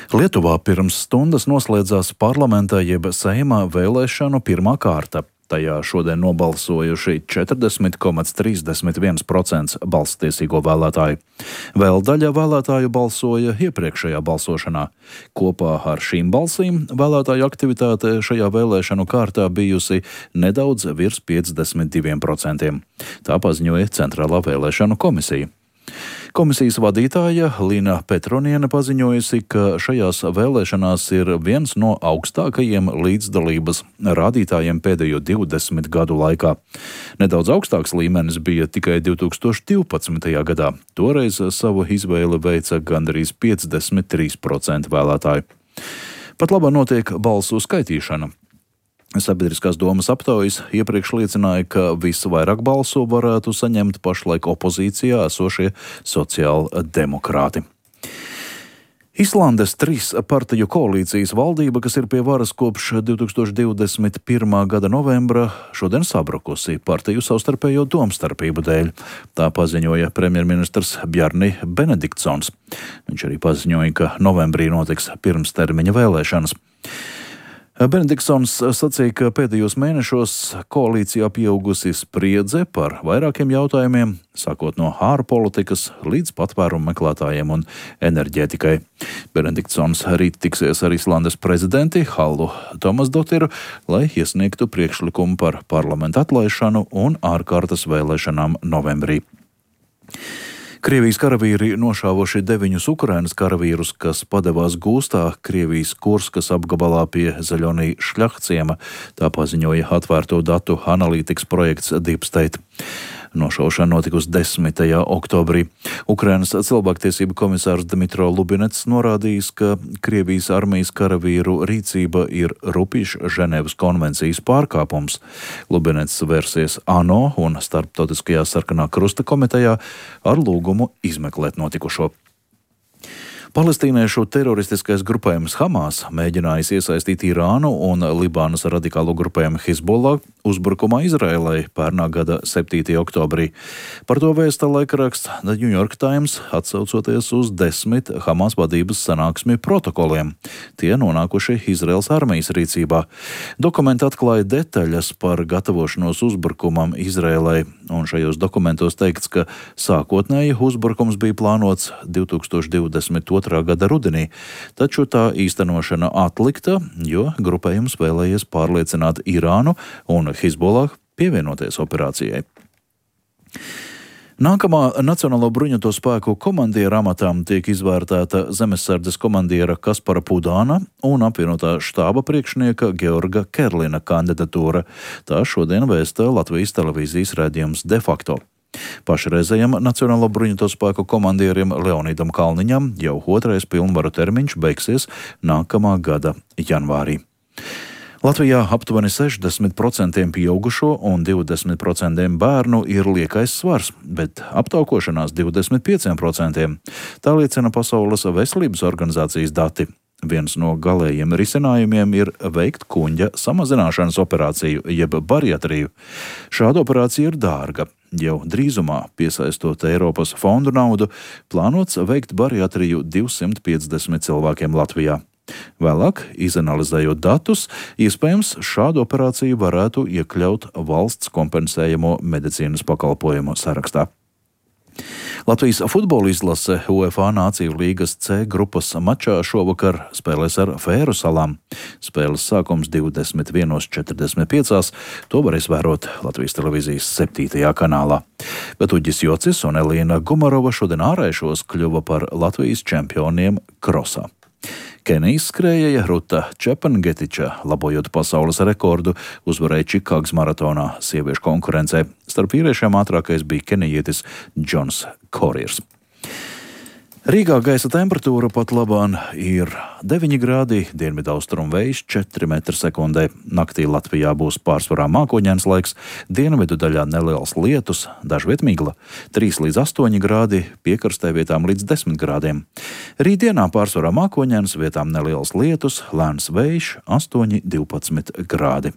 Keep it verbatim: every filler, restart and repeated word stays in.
Lietuvā pirms stundas noslēdzās parlamentā jeb Seimā vēlēšanu pirmā kārta. Tajā šodien nobalsojuši četrdesmit komats trīsdesmit viens procents balsstiesīgo vēlētāju. Vēl daļa vēlētāju balsoja iepriekšējā balsošanā. Kopā ar šīm balsīm vēlētāju aktivitāte šajā vēlēšanu kārtā bijusi nedaudz virs piecdesmit diviem procentiem. Tā paziņoja Centrālā vēlēšanu komisija. Komisijas vadītāja Lina Petroniene paziņojusi, ka šajās vēlēšanās ir viens no augstākajiem līdzdalības rādītājiem pēdējo divdesmit gadu laikā. Nedaudz augstāks līmenis bija tikai divi tūkstoši divpadsmitajā gadā. Toreiz savu izvēli veica gandrīz piecdesmit trīs procenti vēlētāju. Pat labā notiek balsu skaitīšana. Sabiedriskās domas aptaujas iepriekš liecināja, ka visvairāk balsu varētu saņemt pašlaik opozīcijā esošie sociāldemokrāti. Islandes trīs partiju koalīcijas valdība, kas ir pie varas kopš divi tūkstoši divdesmit pirmā gada novembra, šodien sabrukusi partiju savstarpējo domstarpību dēļ. Tā paziņoja premjerministrs Bjarni Benediktsons. Viņš arī paziņoja, ka novembrī notiks pirmstermiņa vēlēšanas. Benediktsons sacīja, ka pēdējos mēnešos koalīcijā pieaugusi spriedze par vairākiem jautājumiem, sākot no ārpolitikas līdz patvērumu meklētājiem un enerģētikai. Benediktsons rīt tiksies ar Islandes prezidenti Hallu Tomasdotiru, lai iesniegtu priekšlikumu par parlamenta atlaišanu un ārkārtas vēlēšanām novembrī. Krievijas karavīri nošāvuši deviņus Ukrainas karavīrus, kas padevās gūstā Krievijas Kurskas apgabalā pie Zaļonī Šļahciema, tā paziņoja atvērto datu analītikas projekts Deep State. Nošaušana notikusi desmitajā oktobrī. Ukrainas cilvēktiesību komisārs Dmitro Lubinets norādījis, ka Krievijas armijas karavīru rīcība ir rupjš Ženēvas konvencijas pārkāpums. Lubinets vērsies ANO un Starptautiskajā sarkanā krusta komitejā ar lūgumu izmeklēt notikušo. Palestīniešu teroristiskais grupējums Hamas mēģinājis iesaistīt Irānu un Libānas radikālo grupējumu Hizbollah uzbrukumā Izraēlai pērnā gada septītajā oktobrī. Par to vēsta laikraksts The New York Times, atsaucoties uz desmit Hamas vadības sanāksmju protokoliem. Tie nonākuši Izraēlas armijas rīcībā. Dokumenti atklāja detaļas par gatavošanos uzbrukumam Izraēlai, un šajos dokumentos teikts, ka sākotnēji uzbrukums bija plānots divi tūkstoši divdesmit otrā gada rudenī, taču tā īstenošana atlikta, jo grupējums vēlējies pārliecināt Irānu un Hizbollah pievienoties operācijai. Nākamā Nacionālo bruņoto spēku komandiera amatām tiek izvērtēta zemesardzes komandiera Kaspara Pudāna un apvienotā štāba priekšnieka Georga Kerlina kandidatūra. Tā šodien vēsta Latvijas televīzijas raidījums De facto. Pašreizējam Nacionālo bruņoto spēku komandierim Leonīdam Kalniņam jau otrais pilnvaru termiņš beigsies nākamā gada janvārī. Latvijā aptuveni sešdesmit procenti pieaugušo un divdesmit procenti bērnu ir liekais svars, bet aptaukošanās divdesmit pieci procenti. Tā liecina Pasaules veselības organizācijas dati. Viens no galējiem risinājumiem ir veikt kuņģa samazināšanas operāciju, jeb bariatriju. Šāda operācija ir dārga. Jau drīzumā, piesaistot Eiropas fondu naudu, plānots veikt bariatriju divsimt piecdesmit cilvēkiem Latvijā. Vēlāk, izanalizējot datus, iespējams šādu operāciju varētu iekļaut valsts kompensējamo medicīnas pakalpojumu sarakstā. Latvijas futbola izlase UEFA Nāciju līgas C grupas mačā šovakar spēlēs ar Fēru salām. Spēles sākums divdesmit viens četrdesmit pieci. To varēs vērot Latvijas televīzijas septītajā kanālā. Bet Uģis Jocis un Elīna Gumarova šodien ārēšos kļuva par Latvijas čempioniem krosā. Kenijas skrējēja Ruta Čepangetiča, labojot pasaules rekordu, uzvarēja Čikāgas maratonā sieviešu konkurencē. Starp vīriešiem ātrākais bija kenijietis Džons Koriers. Rīgā gaisa temperatūra pat labāk ir deviņi grādi, dienvidaustrumu vējš četri metri sekundē. Naktī Latvijā būs pārsvarā mākoņains laiks, dienvidu daļā neliels lietus, dažviet migla, trīs līdz astoņi grādi, piekrastē vietām līdz desmit grādiem. Rītdienā pārsvarā mākoņains, vietām neliels lietus, lēns vējš, astoņi līdz divpadsmit grādi.